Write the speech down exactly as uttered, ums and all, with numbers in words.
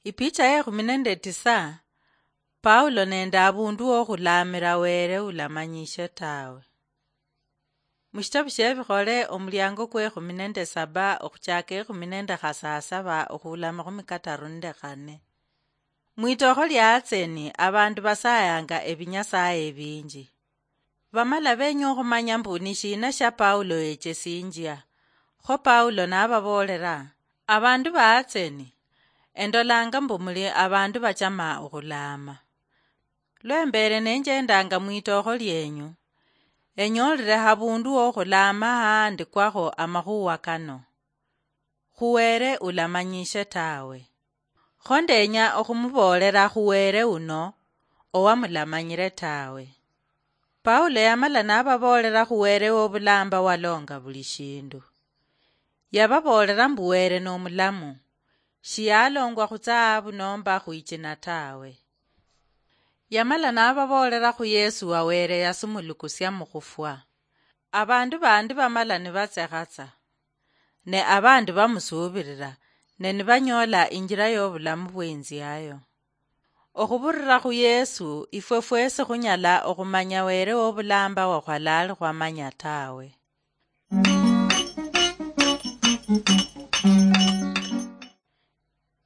Ipicha ye ekhumi nende tisa. Paulo nende abundu wokhulaamira Were ulamanyishe tawe. Mushitabu shie Bikhole, omuliango kwe ekhumi nende saba, okhuchaka ekhumi nende khasasaba okhula amakhumi kataru nende khane. Mwitokho lia Atseni, abandu basayanga ebinyasaye ebinji. Bamala benya okhumanya mbu ni shina shia Paulo yechesinjia. Kho Paulo nababoolera, "Abandu ba Atseni, endolanga mbu muli abandu bachama okhulaama. Lwembeere nenjendanga mwitookho lienyu, enyoolire habundu wokhulaama haandikwakho amakhuwa kano, 'Khu Were ulamanyishe tawe.' Kho ndenya okhumuboolera khu Were uno owamulamanyire tawe." Paulo yamala nababoolera khu Were wobulamba walonga buli shindu. Yababoolera mbu Were nomulamu, shiyalongwa khutsahabu nomba khwichina tawe. Yamala nababoolera khu Yesu wa Were yasumulukusia mukhufwa. Abandu bandi bamala nibatsekhatsa, ne abandi bamusuubirira, ne nibanyoola injira yobulamu bweinziayo. Okhubirira khu Yesu, ifwe fwesi khunyala okhumanya Were wobulamba wakhwalali khwamanya tawe.